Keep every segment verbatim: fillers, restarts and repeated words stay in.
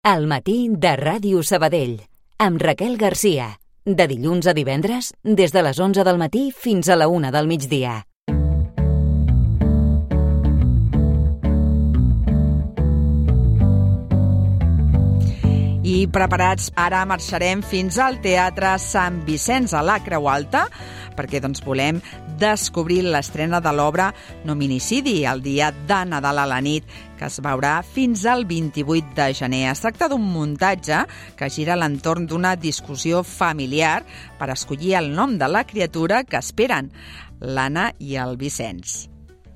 Al matí de Ràdio Sabadell, amb Raquel Garcia. De dilluns a divendres, des de les onze del matí fins a la una del migdia. I preparats, ara marxarem fins al Teatre Sant Vicenç a la Creu Alta, perquè doncs, volem descobrir l'estrena de l'obra Nominicidi, el dia de Nadal a la nit, que es veurà fins al vint-i-vuit de gener. Es tracta d'un muntatge que gira a l'entorn d'una discussió familiar per escollir el nom de la criatura que esperen, l'Anna i el Vicenç.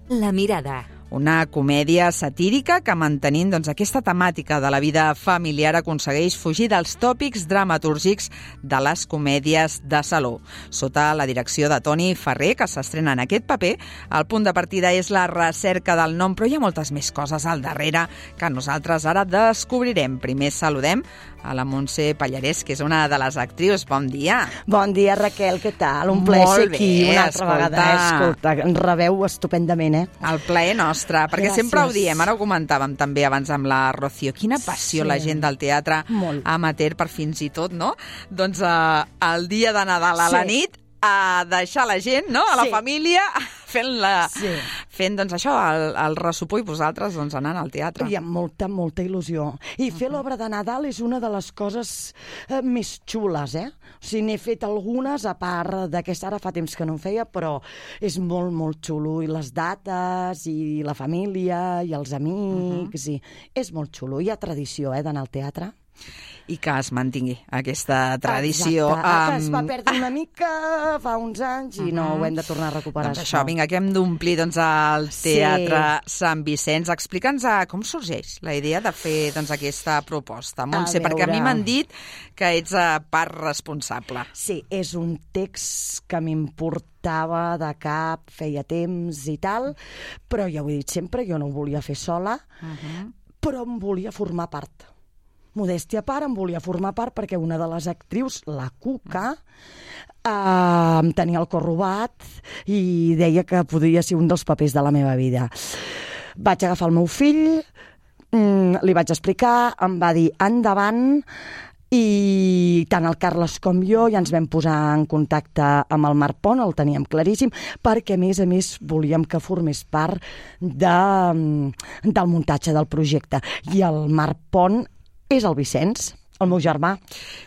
La mirada. Una comèdia satírica que, mantenint doncs, aquesta temàtica de la vida familiar, aconsegueix fugir dels tòpics dramatúrgics de les comèdies de saló. Sota la direcció de Toni Ferrer, que s'estrena en aquest paper, el punt de partida és la recerca del nom, però hi ha moltes més coses al darrere que nosaltres ara descobrirem. Primer saludem a la Montse Pallarès, que és una de les actrius. Bon dia. Bon dia, Raquel, què tal? Un plaer ser aquí una altra escolta. vegada. Eh? Escolta, ens rebeu estupendament, eh? El plaer nostre, perquè Gràcies. Sempre ho diem, ara ho comentàvem també abans amb la Rocío. Quina passió Sí. la gent del teatre Molt. amateur, per fins i tot, no? Doncs eh, el dia de Nadal a la Sí. nit, a deixar la gent, no?, a la Sí. família, fent, la, Sí. fent doncs, això, el, el ressupó, i vosaltres doncs, anant al teatre. Hi ha molta, molta il·lusió. I fer l'obra de Nadal és una de les coses eh, més xules, eh? O sigui, n'he fet algunes, a part d'aquesta, ara fa temps que no en feia, però és molt, molt xulo. I les dates, i la família, i els amics, i és molt xulo. Hi ha tradició, eh, d'anar al teatre. I que es mantingui aquesta tradició. Exacte, que es amb- va perdre una mica fa uns anys i no ho hem de tornar a recuperar. Doncs això, vinga, que hem d'omplir doncs, el Sí. Teatre Sant Vicenç. Explica'ns a com sorgeix la idea de fer doncs, aquesta proposta, Montse, perquè a mi veure. m'han dit que ets uh, part responsable. Sí, és un text que m'importava de cap, feia temps i tal, però ja ho he dit sempre, jo no ho volia fer sola, Uh-huh. però em volia formar part. Modèstia a part, em volia formar part perquè una de les actrius, la Cuca, eh, em tenia el cor robat i deia que podria ser un dels papers de la meva vida. Vaig agafar el meu fill, mm, li vaig explicar, em va dir endavant, i tant el Carles com jo ja ens vam posar en contacte amb el Marc Pont, el teníem claríssim, perquè a més a més volíem que formés part de, del muntatge del projecte. I el Marc Pont és el Vicenç, el meu germà.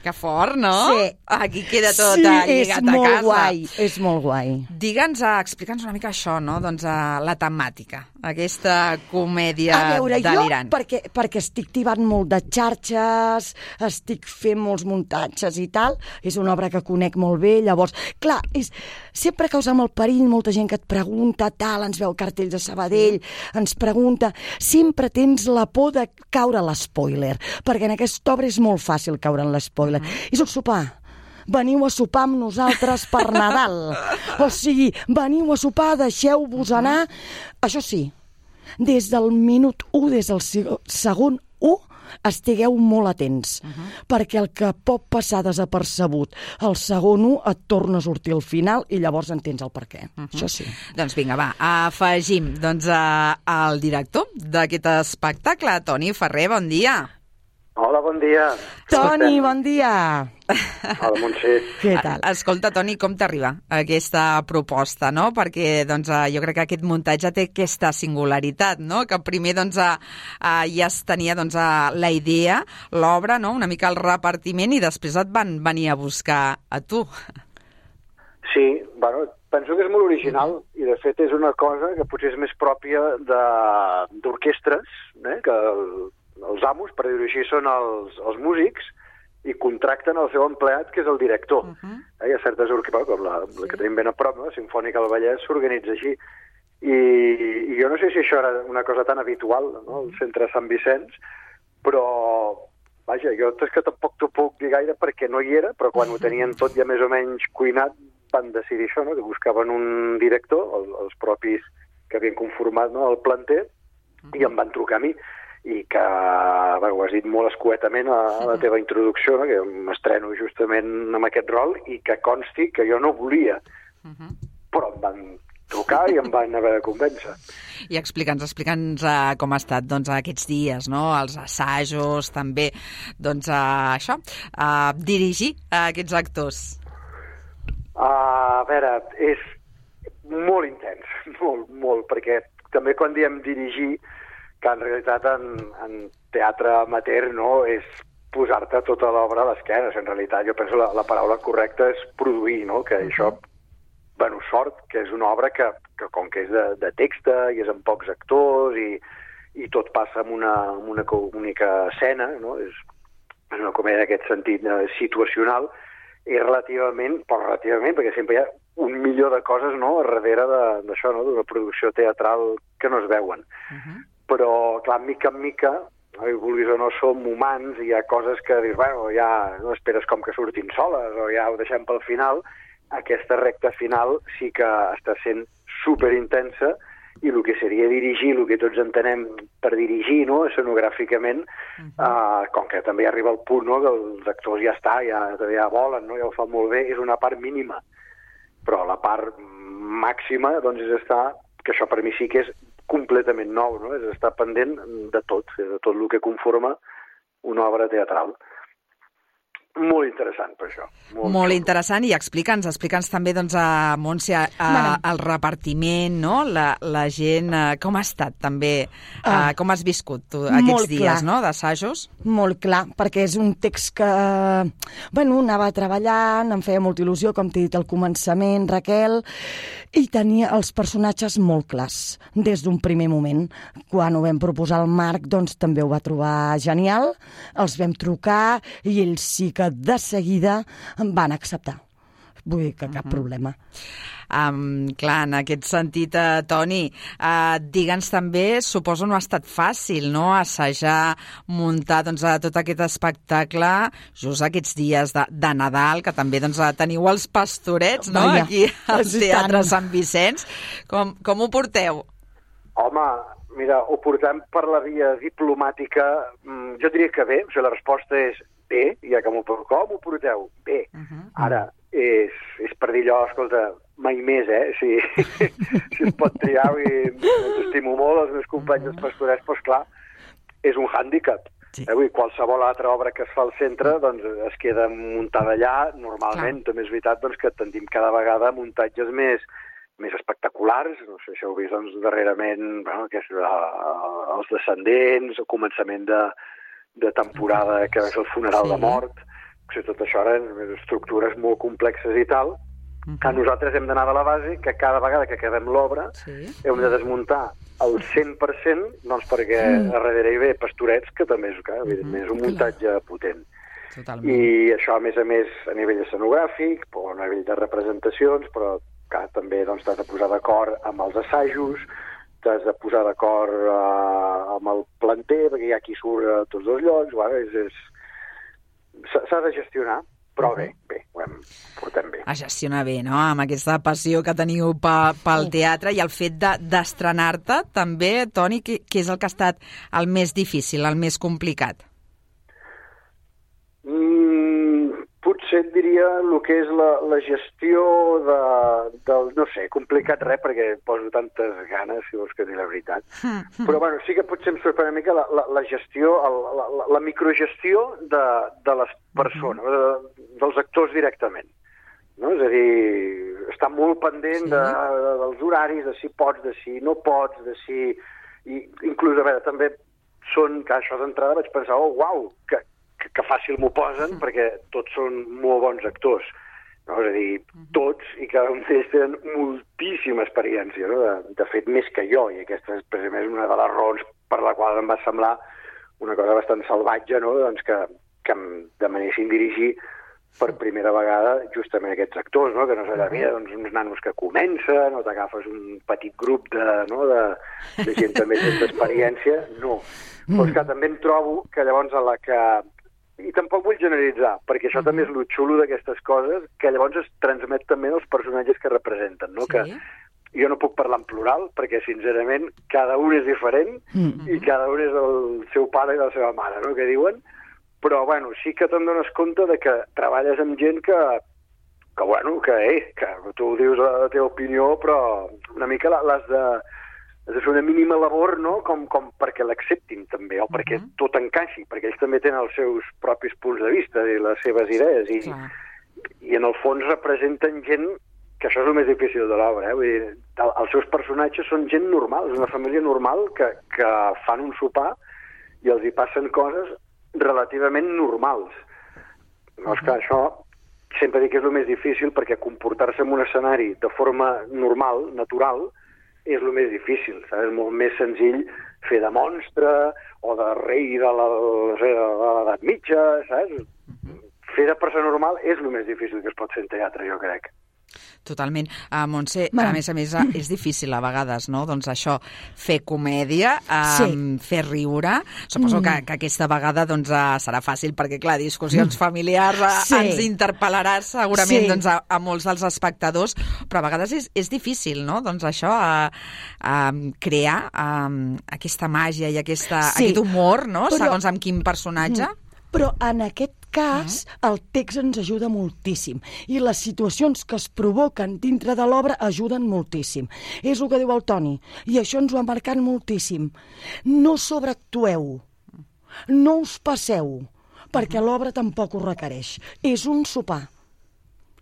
Que fort, no? Sí. Aquí queda tot sí, lligat és a molt casa. guai, és molt guai. Digue'ns, uh, explica'ns una mica això, no? Doncs uh, la temàtica, aquesta comèdia A veure, delirant. jo, perquè, perquè estic tibant molt de xarxes, estic fent molts muntatges i tal, és una obra que conec molt bé, llavors, clar, és, sempre causa amb el perill, molta gent que et pregunta, tal, ens veu cartells a Sabadell, ens pregunta, sempre tens la por de caure a l'espoiler, perquè en aquesta obra és molt fàcil caure en l'espoiler. Uh-huh. És un sopar. Veniu a sopar amb nosaltres per Nadal. O sigui, veniu a sopar, deixeu-vos anar. Això sí, des del minut u, des del segon u, estigueu molt atents, uh-huh. perquè el que pot passar desapercebut el segon u et torna a sortir al final i llavors entens el per què. Uh-huh. Això sí. Doncs vinga, va, afegim doncs, a, al director d'aquest espectacle, Toni Ferrer, bon dia. Hola, bon dia. Toni, bon dia. Hola, Montse. Què tal? Escolta, Toni, com t'arriba aquesta proposta, no? Perquè doncs, jo crec que aquest muntatge té aquesta singularitat, no? Que primer doncs, ja es tenia doncs, la idea, l'obra, no? Una mica el repartiment, i després et van venir a buscar a tu. Sí, bueno, penso que és molt original i de fet és una cosa que potser és més pròpia d'orquestres, eh? Que el, els amos, per dir-ho així, són els, els músics i contracten el seu empleat, que és el director. Uh-huh. eh? Hi ha certes orquestres, com la, la que tenim ben a prop, no? La Simfònica del Vallès s'organitza així. I, I jo no sé si això era una cosa tan habitual, no? El centre Sant Vicenç, però vaja, jo és que tampoc t'ho puc dir gaire perquè no hi era, però quan ho tenien tot ja més o menys cuinat van decidir això, no? Que buscaven un director, el, els propis que havien conformat, no? El planter, i em van trucar a mi. I que, bueno, ho has dit molt escuetament a, a la teva introducció, no? Que m'estreno justament amb aquest rol i que consti que jo no volia. Uh-huh. Però em van trucar i em van haver de convèncer. I explica'ns, explica'ns uh, com ha estat doncs, aquests dies, no? Els assajos, també, doncs, uh, això, uh, dirigir uh, aquests actors. Uh, a veure, és molt intens, molt, molt, perquè també quan diem dirigir, que en realitat en, en teatre amateur no, és posar-te tota l'obra a l'esquena. En realitat jo penso la, la paraula correcta és produir, no? Que això, bueno, sort, que és una obra que, que com que és de, de texta i és amb pocs actors i, i tot passa en una, en una única escena, no? És, és una comèdia en aquest sentit eh, situacional, i relativament, però relativament, perquè sempre hi ha un milió de coses, no?, a darrere d'això, no?, d'una producció teatral que no es veuen. Uh-huh. Però, clar, mica en mica, no, i vulguis o no, som humans, i hi ha coses que dius, bueno, ja no esperes com que surtin soles, o ja ho deixem pel final. Aquesta recta final sí que està sent superintensa, i el que seria dirigir, el que tots entenem per dirigir, no?, escenogràficament, uh-huh. uh, com que també arriba el punt, no?, que els actors ja està, ja, ja volen, no?, ja ho fan molt bé, és una part mínima. Però la part màxima, doncs, és estar, que això per mi sí que és completament nou, no?, és estar pendent de tot, de tot el que conforma una obra teatral. Molt interessant, per això. Molt, molt interessant, i explica'ns, explica'ns també, doncs, a Montse, a, a, el repartiment, no?, la, la gent, a, com ha estat també, a, ah, com has viscut tu aquests dies, clar. No?, d'assajos? Molt clar, perquè és un text que, bueno, anava treballant, em feia molta il·lusió, com t'he dit al començament, Raquel, i tenia els personatges molt clars, des d'un primer moment. Quan ho vam proposar al Marc, doncs també ho va trobar genial, els vam trucar, i ells sí que de seguida em van acceptar. Vull dir que cap uh-huh. problema. Um, clar, en aquest sentit, uh, Toni, uh, digue'ns també, suposo no ha estat fàcil, no?, assajar, muntar doncs, tot aquest espectacle just aquests dies de, de Nadal, que també doncs, teniu els Pastorets, no?, Vaja, aquí al Teatre Sant Vicenç. Com, com ho porteu? Home, mira, ho portem per la via diplomàtica, jo diria que bé, o sigui, la resposta és bé, ja que m'ho porteu, com ho porteu? Bé. Uh-huh. Ara, és, és per dir allò, escolta, mai més, eh? Si, si es pot triar, i ens estimo molt, els meus companys dels Pastorets, doncs clar, és un hàndicap. Sí. Eh? Vull dir, qualsevol altra obra que es fa al centre doncs, es queda muntada allà, normalment. Clar. També és veritat doncs, que tendim cada vegada muntatges més, més espectaculars, no sé si heu vist doncs, darrerament, bueno, que és uh, els Descendents, el començament de, de temporada que és el Funeral sí. de Mort, o sigui, tot això ara estructures molt complexes i tal, uh-huh. que nosaltres hem d'anar de la base que cada vegada que acabem l'obra sí. hem de desmuntar el cent per cent, doncs perquè uh-huh. a darrere hi ve Pastorets, que també és, que, evidentment, és un muntatge uh-huh. potent. Totalment. I això, a més a més, a nivell escenogràfic, a nivell de representacions, però que també doncs, t'has de posar d'acord amb els assajos, t'has de posar d'acord uh, amb el planter, perquè hi ha qui surt a tots dos llocs, bueno, és, és... s'ha de gestionar, però bé, bé, ho hem, portem bé. A gestionar bé, no?, amb aquesta passió que teniu pa, pel teatre, i el fet de, d'estrenar-te també, Toni, que, que és el que ha estat el més difícil, el més complicat? Mm, potser et diria el que és la, la gestió de, del, no sé, complicat res, perquè poso tantes ganes, si vols que dir la veritat. Però, bueno, sí que potser em sorprèn una mica la, la, la gestió, el, la, la, la microgestió de, de les persones, de, dels actors directament. No? És a dir, està molt pendent sí. de, de, dels horaris, de si pots, de si no pots, de si... I, inclús, a veure, també són, que això d'entrada vaig pensar, oh, uau, que, que, que fàcil m'ho posen, perquè tots són molt bons actors. No? És a dir, tots, i cada un d'ells tenen moltíssima experiència, no? de, de fet, més que jo, i aquesta és precisament una de les raons per la qual em va semblar una cosa bastant salvatge, no? doncs que, que em demanessin dirigir per primera vegada justament aquests actors, no? Que no és allà, mira, doncs, uns nanos que comencen, o t'agafes un petit grup de, no? de, de gent també sense experiència, no. Però és que també em trobo que llavors a la que... I tampoc vull generalitzar, perquè això també és el xulo d'aquestes coses, que llavors es transmet també als personatges que representen, no? Sí. Que jo no puc parlar en plural, perquè, sincerament, cada un és diferent mm-hmm. i cada un és el seu pare i la seva mare, no?, que diuen. Però, bueno, sí que te'n dones compte de que treballes amb gent que, que bueno, que, eh, que tu dius la teva opinió, però una mica l'has de, has de fer una mínima labor, no?, com, com perquè l'acceptin també, o perquè uh-huh. tot encaixi, perquè ells també tenen els seus propis punts de vista i les seves idees, i, i en el fons representen gent, que això és el més difícil de l'obra, eh? Vull dir, el, els seus personatges són gent normal, és una família normal que, que fan un sopar i els hi passen coses relativament normals. No, és que això sempre dic que és el més difícil, perquè comportar-se en un escenari de forma normal, natural, és el més difícil, saps? És molt més senzill fer de monstre o de rei de l'edat mitja, saps? Fer de persona normal és el més difícil que es pot fer en teatre, jo crec. Totalment. Uh, Montse, bueno. a més a més, és difícil a vegades, no? Doncs això, fer comèdia, um, sí. fer riure. Suposo mm. que, que aquesta vegada doncs, uh, serà fàcil, perquè, clar, discussions familiars uh, sí. ens interpel·larà segurament sí. doncs, a, a molts dels espectadors, però a vegades és, és difícil, no? Doncs això, uh, uh, crear uh, aquesta màgia i aquesta, sí. aquest humor, no? Però, segons amb quin personatge. Però en aquest cas, el text ens ajuda moltíssim i les situacions que es provoquen dintre de l'obra ajuden moltíssim. És el que diu el Toni, i això ens ho ha marcat moltíssim. No sobreactueu, no us passeu, perquè l'obra tampoc ho requereix. És un sopar.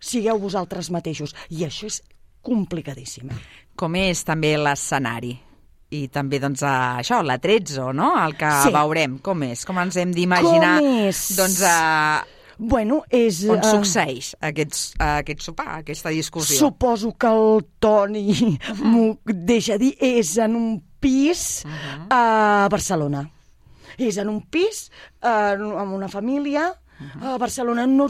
Sigueu vosaltres mateixos, i això és complicadíssim. Com és també l'escenari? I també, doncs, això, l'Atrezzo, no?, el que sí. veurem. Com és? Com ens hem d'imaginar, doncs, a... Bueno, és... on succeeix aquest, aquest sopar, aquesta discussió? Suposo que el Toni uh-huh. m'ho deixa dir, és en un pis uh-huh. a Barcelona. És en un pis eh, amb una família a Barcelona. No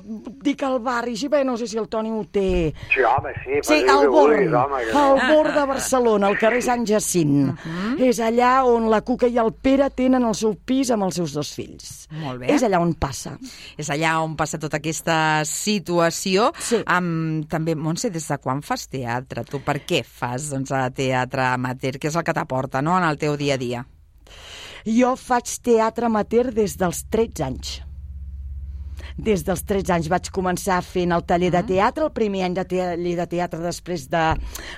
dic al barri, sí, bé, no sé si el Toni ho té. Sí, home, sí. Sí, al Born, al Born de Barcelona, al carrer Sant Jacint. Uh-huh. És allà on la Cuca i el Pere tenen el seu pis amb els seus dos fills. Molt bé. És allà on passa. És allà on passa tota aquesta situació. Sí. Um, també, Montse, des de quan fas teatre? Tu per què fas doncs, teatre amateur? Què és el que t'aporta, no?, en el teu dia a dia? Jo faig teatre amateur des dels tretze anys. Des dels tretze anys vaig començar fent el taller de teatre, el primer any de taller de teatre després de,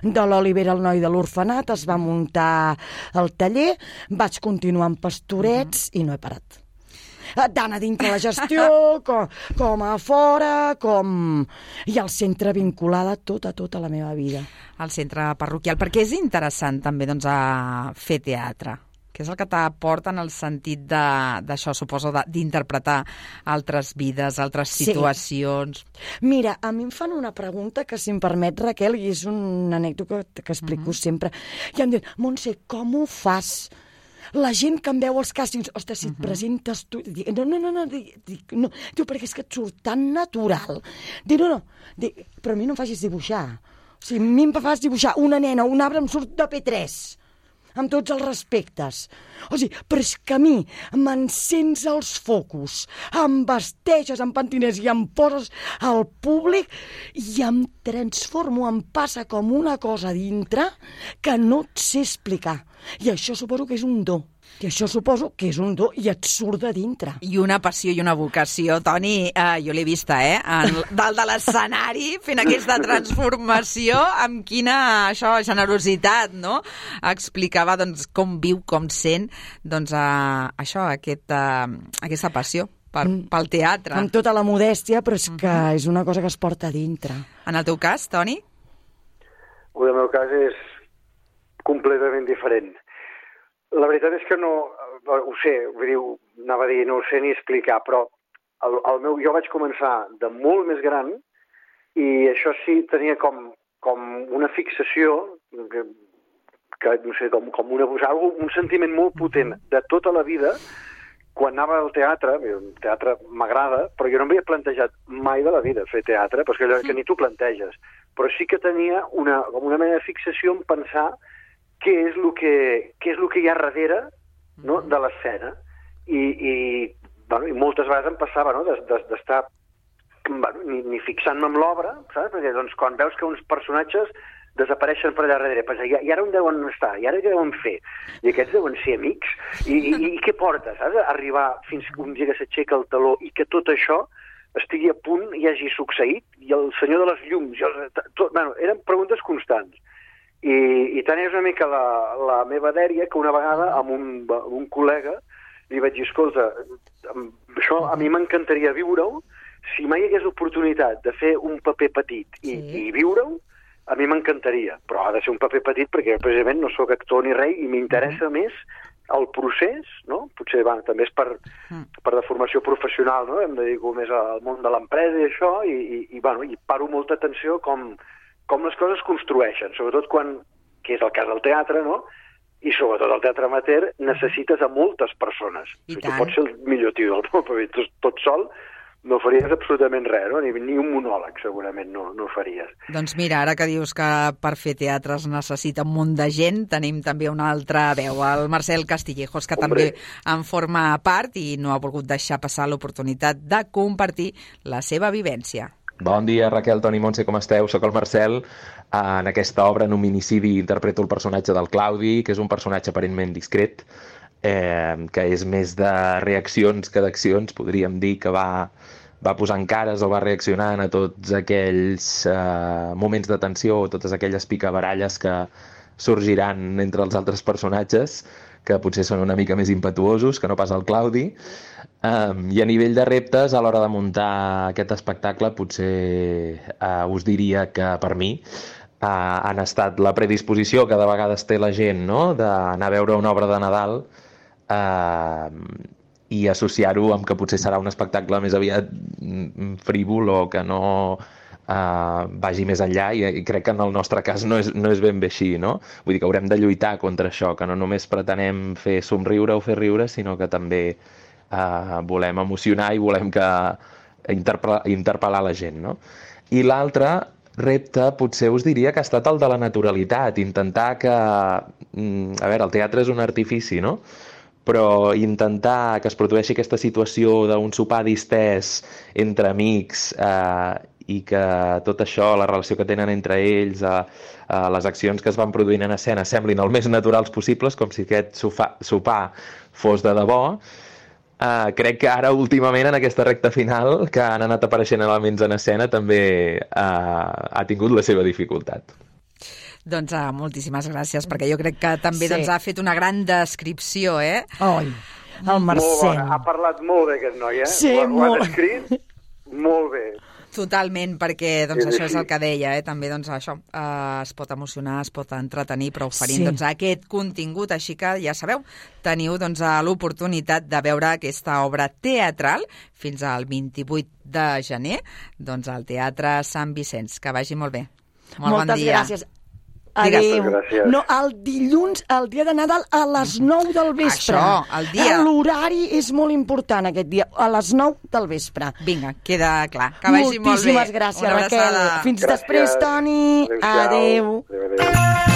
de l'Olivera, el noi de l'orfenat, es va muntar el taller, vaig continuar amb pastorets uh-huh. i no he parat. Tant a dintre la gestió, com, com a fora, com... i al centre vinculada tota, tota la meva vida. Al centre parroquial. Per què és interessant també doncs, a fer teatre? Què és el que t'aporta en el sentit d'això, suposo, d'interpretar altres vides, altres situacions? Sí. Mira, a mi em fan una pregunta que, si em permet, Raquel, i és una anècdota que, que explico uh-huh. sempre, i em diuen, Montse, com ho fas? La gent que em veu als càstings, ostres, si et uh-huh. presentes tu... Dic, no, no, no, no, dic, no. Diu, perquè és que et surt tan natural. Dic, no, no, dic, però a mi no em facis dibuixar. O sigui, a mi em fas dibuixar una nena, un arbre, em surt de P tres. Amb tots els respectes. O sigui, però és que a mi m'encens els focus, em vesteixes, em pentines i em poses al públic i em transformo, em passa com una cosa dintre que no et sé explicar. I això suposo que és un do. I això suposo que és un do i et surt de dintre. I una passió i una vocació. Toni, eh, jo l'he vista, eh? En, dalt de l'escenari, fent aquesta transformació, amb quina això, generositat, no? Explicava doncs, com viu, com sent doncs, eh, això, aquest, eh, aquesta passió per, pel teatre. Amb tota la modèstia, però és que uh-huh. és una cosa que es porta a dintre. En el teu cas, Toni? El meu cas és completament diferent. La veritat és que no, ho sé, vull dir, anava a dir, no ho sé ni explicar, però el, el meu, jo vaig començar de molt més gran i això sí tenia com, com una fixació, que, que no sé, com, com una, un sentiment molt potent de tota la vida. Quan anava al teatre, el teatre m'agrada, però jo no m'havia plantejat mai de la vida fer teatre, perquè allò que ni tu planteges. Però sí que tenia una, com una mena de fixació en pensar què és el que, què és el que hi ha darrere, no?, de l'escena. I, i, bueno, i moltes vegades em passava, no?, d'estar bueno, ni, ni fixant-me en l'obra, saps? Perquè doncs, quan veus que uns personatges desapareixen per allà darrere, pensa, i, i ara on deuen estar? I ara què deuen fer? I aquests deuen ser amics? I, i, i què porta, saps? Arribar fins que un dia que s'aixeca el taló i que tot això estigui a punt i hagi succeït, i el senyor de les llums, jo, tot, bueno, eren preguntes constants. I, i tant és una mica la, la meva dèria que una vegada amb un, un col·lega li vaig dir, escolta, això a mi m'encantaria viure-ho, si mai hi hagués l'oportunitat de fer un paper petit i, sí. i viure-ho, a mi m'encantaria, però ha de ser un paper petit perquè precisament no sóc actor ni rei i m'interessa mm. més el procés, no? Potser bueno, també és per, mm. per de formació professional, no? Em dedico més al món de l'empresa i això, i, i, i, bueno, i paro molta atenció com, com les coses construeixen, sobretot quan, que és el cas del teatre, no? I sobretot el teatre amateur necessites a moltes persones. I si tu pots ser el millor tio del món, però tot, tot sol no faries absolutament res, no? Ni, ni un monòleg segurament no, no faries. Doncs mira, ara que dius que per fer teatre es necessita un munt de gent, tenim també una altra veu, el Marcel Castillejos, que Hombre. també en forma part i no ha volgut deixar passar l'oportunitat de compartir la seva vivència. Bon dia, Raquel, Toni, Montse, com esteu? Soc el Marcel. En aquesta obra, en un minicidi, interpreto el personatge del Claudi, que és un personatge aparentment discret, eh, que és més de reaccions que d'accions, podríem dir que va, va posant cares o va reaccionant a tots aquells eh, moments de tensió o totes aquelles picabaralles que sorgiran entre els altres personatges, que potser són una mica més impetuosos que no pas el Claudi. Um, I a nivell de reptes, a l'hora de muntar aquest espectacle, potser uh, us diria que per mi uh, han estat la predisposició que de vegades té la gent, no?, d'anar a veure una obra de Nadal uh, i associar-ho amb que potser serà un espectacle més aviat frívol o que no uh, vagi més enllà, i, i crec que en el nostre cas no és, no és ben bé així, no? Vull dir que haurem de lluitar contra això, que no només pretenem fer somriure o fer riure, sinó que també Uh, volem emocionar i volem que interpel·lar, interpel·lar la gent, no? I l'altre repte potser us diria que ha estat el de la naturalitat, intentar que... A veure, el teatre és un artifici, no? Però intentar que es produeixi aquesta situació d'un sopar distès entre amics eh, i que tot això, la relació que tenen entre ells, eh, eh, les accions que es van produint en escena semblin el més naturals possibles, com si aquest sofà, sopar fos de debò. Uh, crec que ara, últimament, en aquesta recta final, que han anat apareixent elements en escena, també uh, ha tingut la seva dificultat. Doncs uh, moltíssimes gràcies, perquè jo crec que també sí. doncs, ha fet una gran descripció, eh? Oi, el Marcel. Molt bona. Ha parlat molt bé aquest noi, eh? Sí, ho, ho molt. ha descrit molt bé. Totalment, perquè doncs, sí, això sí. és el que deia, eh? També doncs, això eh, es pot emocionar, es pot entretenir, però oferint sí. doncs, aquest contingut, així que ja sabeu, teniu doncs, l'oportunitat de veure aquesta obra teatral fins al vint-i-vuit de gener doncs, al Teatre Sant Vicenç. Que vagi molt bé. Molt Moltes bon dia. gràcies. Adéu. Gràcies. No, el dilluns, el dia de Nadal, a les nou del vespre. Això, el dia. L'horari és molt important aquest dia, a les nou del vespre. Vinga, queda clar. Que vagi molt bé. Moltíssimes gràcies, Raquel. Fins gràcies. després, Toni. Adéu-siau. Adéu. Adéu, adéu.